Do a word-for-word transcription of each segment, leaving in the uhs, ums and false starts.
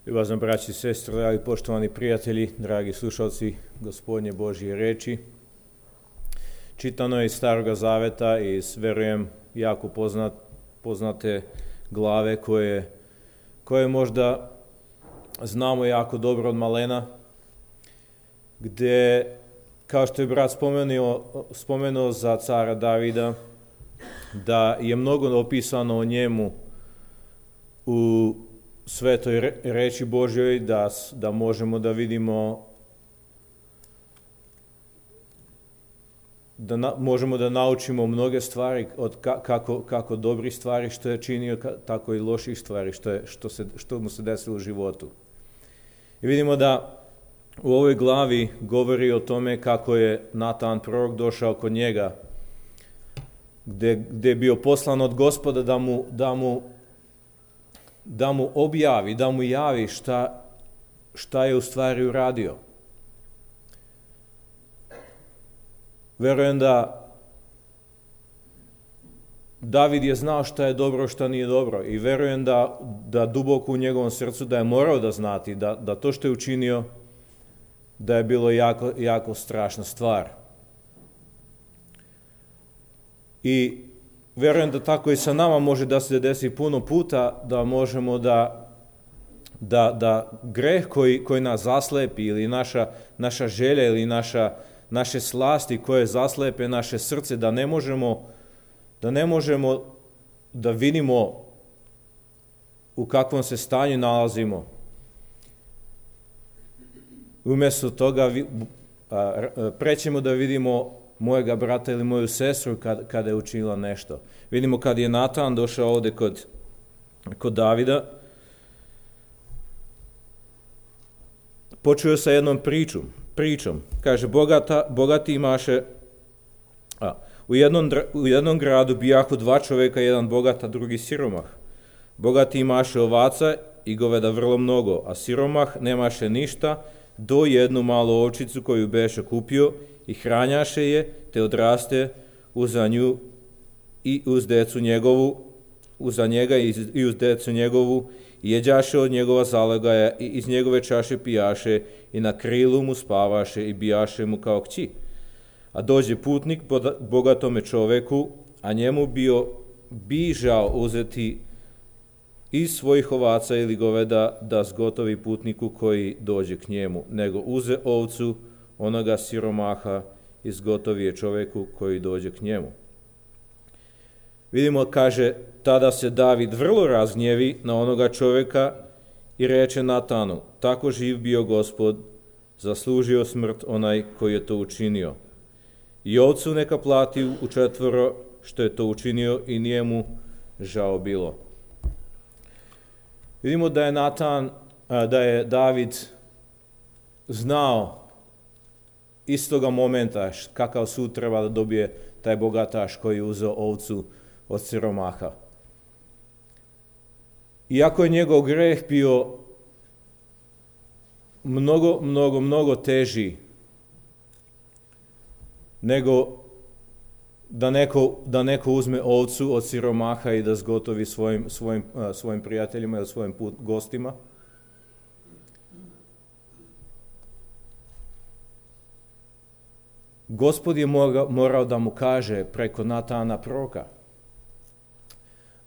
Ljubazno braći i sestre, dragi poštovani prijatelji, dragi slušalci Gospodnje Božje reči. Čitano je iz Staroga Zaveta i iz, verujem, jako poznat, poznate glave koje, koje možda znamo jako dobro od malena, gde, kao što je brat spomenuo, spomenuo za cara Davida, da je mnogo opisano o njemu u svetoj reči Božjoj, da, da možemo da vidimo, da na, možemo da naučimo mnoge stvari, od ka, kako, kako dobrih stvari što je činio, ka, tako i loših stvari što, je, što, se, što mu se desilo u životu. I vidimo da u ovoj glavi govori o tome kako je Natan prorok došao kod njega, gde, gde je bio poslan od Gospoda da mu, da mu da mu objavi, da mu javi šta, šta je u stvari uradio. Verujem da David je znao šta je dobro, šta nije dobro i verujem da, da duboko u njegovom srcu da je morao da znati da, da to što je učinio da je bilo jako, jako strašna stvar. I verujem da tako i sa nama može da se desi puno puta da možemo da, da, da greh koji, koji nas zaslepi ili naša, naša želja ili naša, naše slasti koje zaslepe naše srce, da ne možemo da ne možemo da vidimo u kakvom se stanju nalazimo. Umjesto toga prećemo da vidimo mojega brata ili moju sestru kad, kada je učinila nešto. Vidimo kad je Natan došao ovdje kod, kod Davida, počeo sa jednom pričom. pričom. Kaže, bogata, bogati imaše, a, u, jednom, u jednom gradu bijahu dva čovjeka, jedan bogat, a drugi siromah. Bogati imaše ovaca i goveda vrlo mnogo, a siromah nemaše ništa, do jednu malu ovčicu koju beše kupio i hranjaše je, te odraste uza nju i uz decu njegovu, uza njega i uz decu njegovu, i jeđaše od njegova zalogaja i iz njegove čaše pijaše i na krilu mu spavaše i bijaše mu kao kći. A dođe putnik bogatome čoveku, a njemu bio bižao uzeti iz svojih ovaca ili goveda da zgotovi putniku koji dođe k njemu, nego uze ovcu onoga siromaha i zgotovi je čoveku koji dođe k njemu. Vidimo, kaže, tada se David vrlo razgnjevi na onoga čovjeka i reče Natanu, tako živ bio Gospod, zaslužio smrt onaj koji je to učinio. I ovcu neka plati u četvoro što je to učinio i nije mu žao bilo. Vidimo da je Natan, da je David znao istoga momenta kakav sud treba da dobije taj bogataš koji je uzeo ovcu od siromaha. Iako je njegov greh bio mnogo, mnogo, mnogo teži nego da neko, da neko uzme ovcu od siromaha i da zgotovi svojim, svojim, svojim prijateljima ili svojim put, gostima, Gospod je morao da mu kaže preko Natana proroka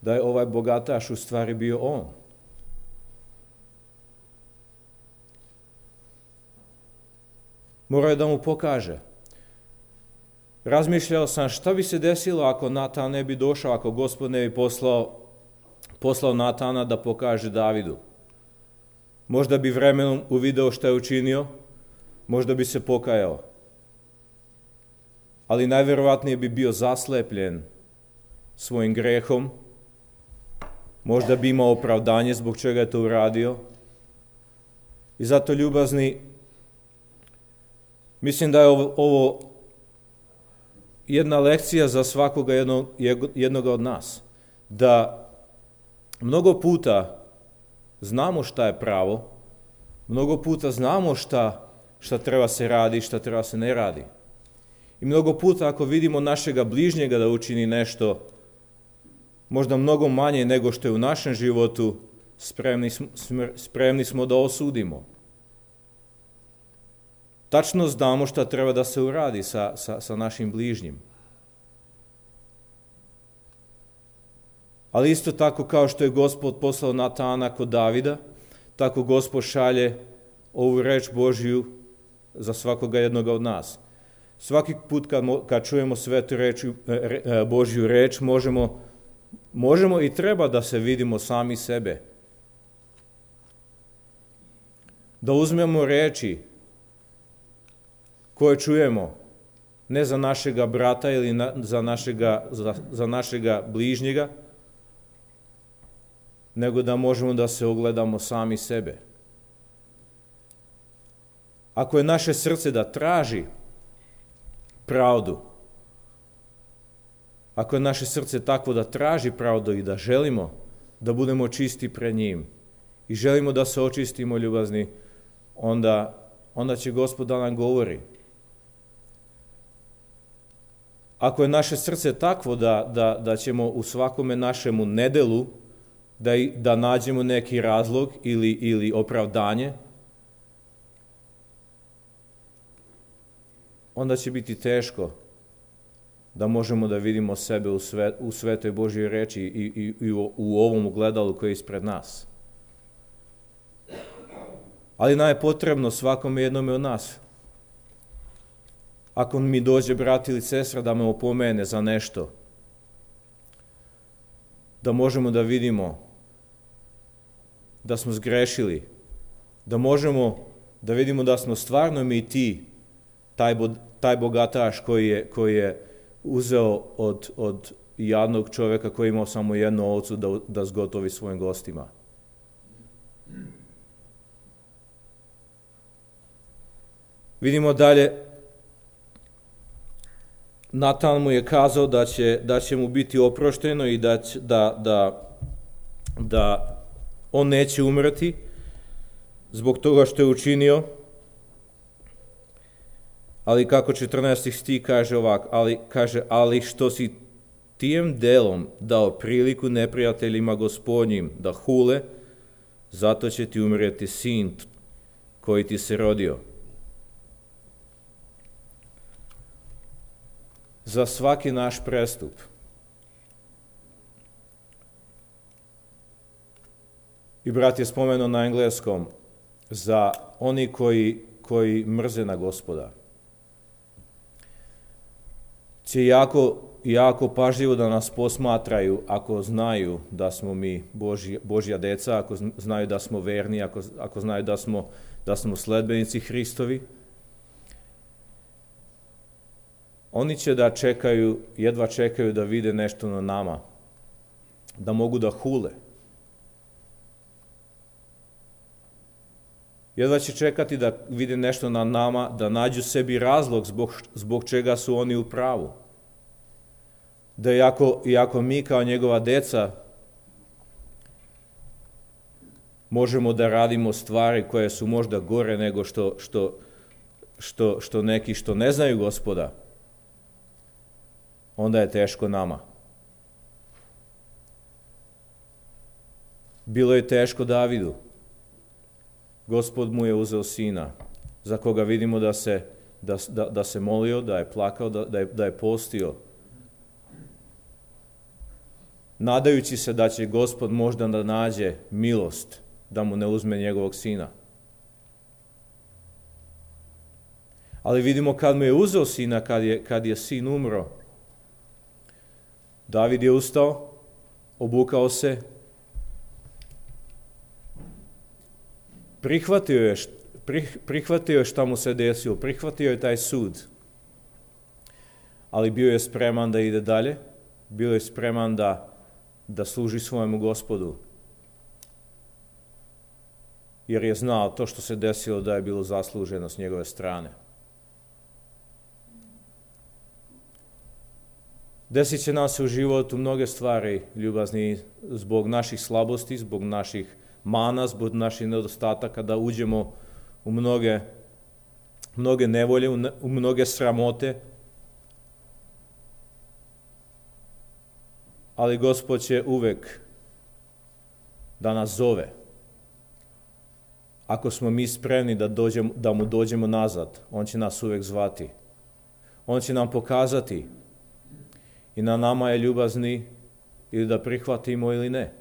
da je ovaj bogataš u stvari bio on. Morao je da mu pokaže. Razmišljao sam šta bi se desilo ako Natan ne bi došao, ako Gospod ne bi poslao, poslao Natana da pokaže Davidu. Možda bi vremenom uvideo šta je učinio, možda bi se pokajao. Ali najverovatnije bi bio zaslepljen svojim grehom, možda bi imao opravdanje zbog čega je to uradio. I zato, ljubazni, mislim da je ovo, ovo jedna lekcija za svakoga jednog, jednoga od nas. Da mnogo puta znamo šta je pravo, mnogo puta znamo šta, šta treba se radi, šta treba se ne radi. I mnogo puta ako vidimo našega bližnjega da učini nešto možda mnogo manje nego što je u našem životu, spremni smo, spremni smo da osudimo. Tačno znamo šta treba da se uradi sa, sa, sa našim bližnjim. Ali isto tako kao što je Gospod poslao Natana kod Davida, tako Gospod šalje ovu reč Božju za svakoga jednoga od nas. Svaki put kad, kad čujemo svetu reč, re, Božju reč, možemo, možemo i treba da se vidimo sami sebe. Da uzmemo reči koje čujemo, ne za našega brata ili na, za, našega, za, za našega bližnjega, nego da možemo da se ogledamo sami sebe. Ako je naše srce da traži pravdu, ako je naše srce takvo da traži pravdu i da želimo da budemo čisti pred njim i želimo da se očistimo ljubazni, onda, onda će Gospod da nam govori. Ako je naše srce takvo da, da, da ćemo u svakome našemu nedelu da, da nađemo neki razlog ili, ili opravdanje, onda će biti teško da možemo da vidimo sebe u, sve, u svetoj Božjoj reči i, i, i u, u ovom ogledalu koje je ispred nas. Ali nam je potrebno svakome jednome od nas. Ako mi dođe brat ili sestra da me opomene za nešto, da možemo da vidimo da smo zgrešili, da možemo da vidimo da smo stvarno mi ti, taj, taj bogataš koji je, koji je uzeo od, od jadnog čovjeka koji je imao samo jednu ovcu da, da zgotovi svojim gostima. Vidimo dalje, Natan mu je kazao da će, da će mu biti oprošteno i da, će, da, da, da on neće umreti zbog toga što je učinio. Ali kako četrnaesti stih kaže ovako, ali, kaže, ali što si tijem delom dao priliku neprijateljima Gospodnjim da hule, zato će ti umreti sin koji ti se rodio. Za svaki naš prestup i brat je spomenuo na engleskom za oni koji, koji mrze na Gospoda će jako, jako pažljivo da nas posmatraju ako znaju da smo mi Božja, Božja deca, ako znaju da smo verni, ako, ako znaju da smo, da smo sledbenici Hristovi. Oni će da čekaju, jedva čekaju da vide nešto na nama, da mogu da hule. Jedva će čekati da vide nešto na nama, da nađu sebi razlog zbog, zbog čega su oni u pravu. Da iako, iako mi kao njegova deca možemo da radimo stvari koje su možda gore nego što, što, što, što neki što ne znaju Gospoda, onda je teško nama. Bilo je teško Davidu. Gospod mu je uzeo sina, za koga vidimo da se, da, da, da se molio, da je plakao, da, da, je, da je postio, nadajući se da će Gospod možda da nađe milost, da mu ne uzme njegovog sina. Ali vidimo kad mu je uzeo sina, kad je, kad je sin umro, David je ustao, obukao se, prihvatio je, prihvatio je šta mu se desilo, prihvatio je taj sud, ali bio je spreman da ide dalje, bio je spreman da, da služi svojemu Gospodu, jer je znao to što se desilo da je bilo zasluženo s njegove strane. Desit će nam se u životu mnoge stvari, ljubazni, zbog naših slabosti, zbog naših mana, zbog naših nedostataka, da uđemo u mnoge, mnoge nevolje, u mnoge sramote. Ali Gospod će uvek da nas zove. Ako smo mi spremni da, dođemo, da mu dođemo nazad, on će nas uvek zvati. On će nam pokazati i na nama je ljubazni ili da prihvatimo ili ne.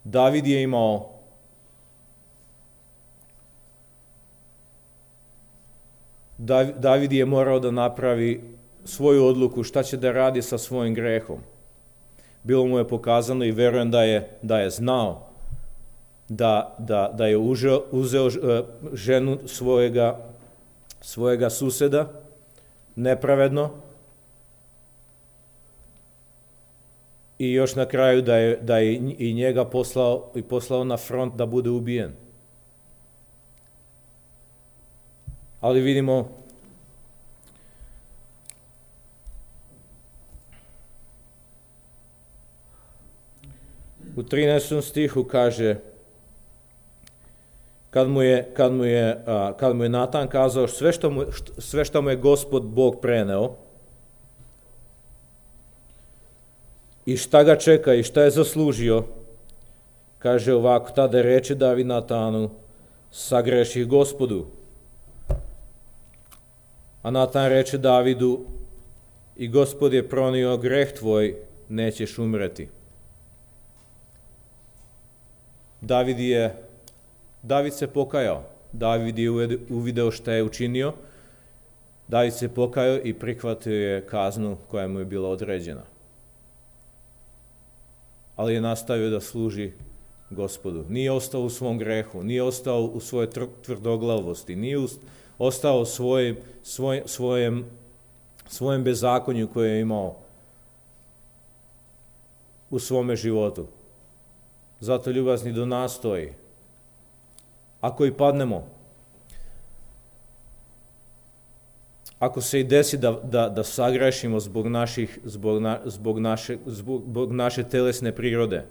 David je imao David je morao da napravi svoju odluku šta će da radi sa svojim grehom. Bilo mu je pokazano i verujem da je, da je znao da, da, da je užeo, uzeo ženu svojega, svojega suseda nepravedno i još na kraju da je, da je i njega poslao, i poslao na front da bude ubijen. Ali vidimo u trinaestom stihu kaže kad mu je, kad mu je, kad mu je Natan kazao sve što mu, sve što mu je Gospod Bog preneo i šta ga čeka i šta je zaslužio, kaže ovako, tada reče David Natanu, sagreših Gospodu. A Natan reče Davidu, i Gospod je pronio greh tvoj, nećeš umreti. David je, David se pokajao, David je uvideo šta je učinio, David se pokajao i prihvatio je kaznu koja mu je bila određena. Ali je nastavio da služi Gospodu. Nije ostao u svom grehu, nije ostao u svojoj tvrdoglavosti, nije ostao u svojim, svoj, svojem, svojem bezakonju koje je imao u svome životu. Zato ljubazni do nas stoji. Ako i padnemo, ako se i desi da, da, da sagrešimo zbog, naših, zbog, na, zbog, naše, zbog naše telesne prirode,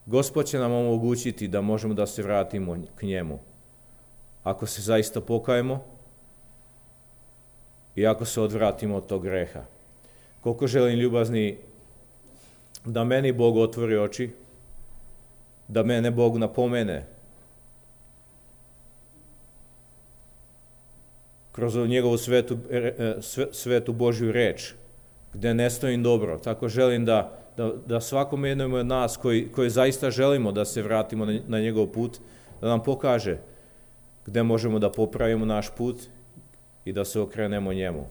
Gospod će nam omogućiti da možemo da se vratimo k njemu. Ako se zaista pokajemo i ako se odvratimo od tog greha. Koliko želim ljubazni da meni Bog otvori oči, da mene Bog napomene kroz njegovu svetu, svetu Božju reč, gde ne stojim dobro. Tako želim da, da, da svakom jednom od nas koji, koji zaista želimo da se vratimo na, na njegov put, da nam pokaže gde možemo da popravimo naš put i da se okrenemo njemu.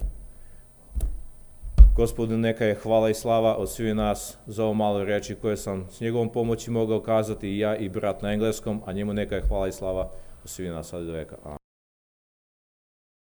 Gospodu, neka je hvala i slava od svih nas za ovo malo reči koje sam s njegovom pomoći mogao kazati i ja i brat na engleskom, a njemu neka je hvala i slava od svih nas sad do veka.